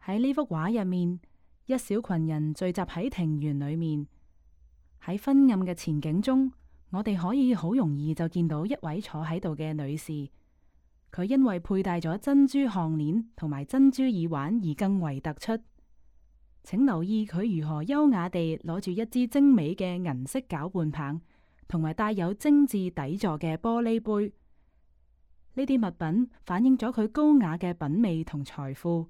喺呢幅畫入面，一小群人聚集喺庭園裏面。喺昏暗嘅前景中，我哋可以好容易就見到一位坐喺度嘅女士。佢因為佩戴咗珍珠項鏈同埋珍珠耳環而更為突出。請留意佢如何優雅地攞住一支精美嘅銀色攪拌棒，同埋帶有精緻底座嘅玻璃杯。呢啲物品反映咗佢高雅嘅品味同財富。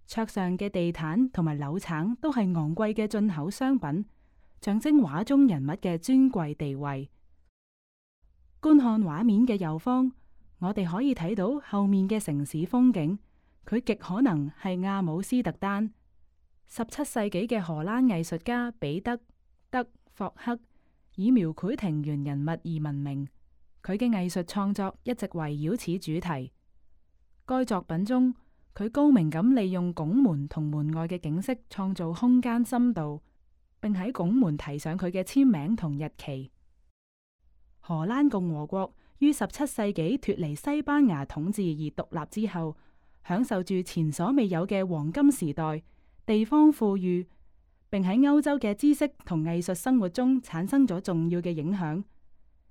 桌上嘅地毯同埋柳橙都係昂貴嘅進口商品，象徵畫中人物嘅尊貴地位。觀看畫面嘅右方，我哋可以睇到後面嘅城市風景，佢極可能係阿姆斯特丹。17世紀嘅荷蘭藝術家彼得·德霍克以描繪庭園人物而聞名，佢嘅藝術創作一直圍繞此主題。該作品中，佢高明咁利用拱門同門外嘅景色創造空間深度，並喺拱門題上佢嘅簽名同日期。荷蘭共和國於17世紀脫離西班牙統治而獨立之後，享受住前所未有嘅黃金時代，地方富裕，並喺歐洲嘅知識同藝術生活中產生咗重要嘅影響。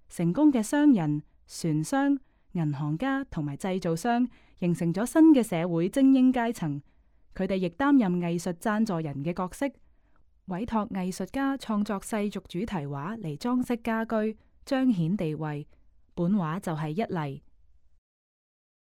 成功嘅商人、船商、銀行家同埋製造商形成咗新嘅社會精英階層，佢哋亦擔任藝術贊助人嘅角色，委託藝術家創作世俗主題畫嚟裝飾家居，彰顯地位。本畫就係一例。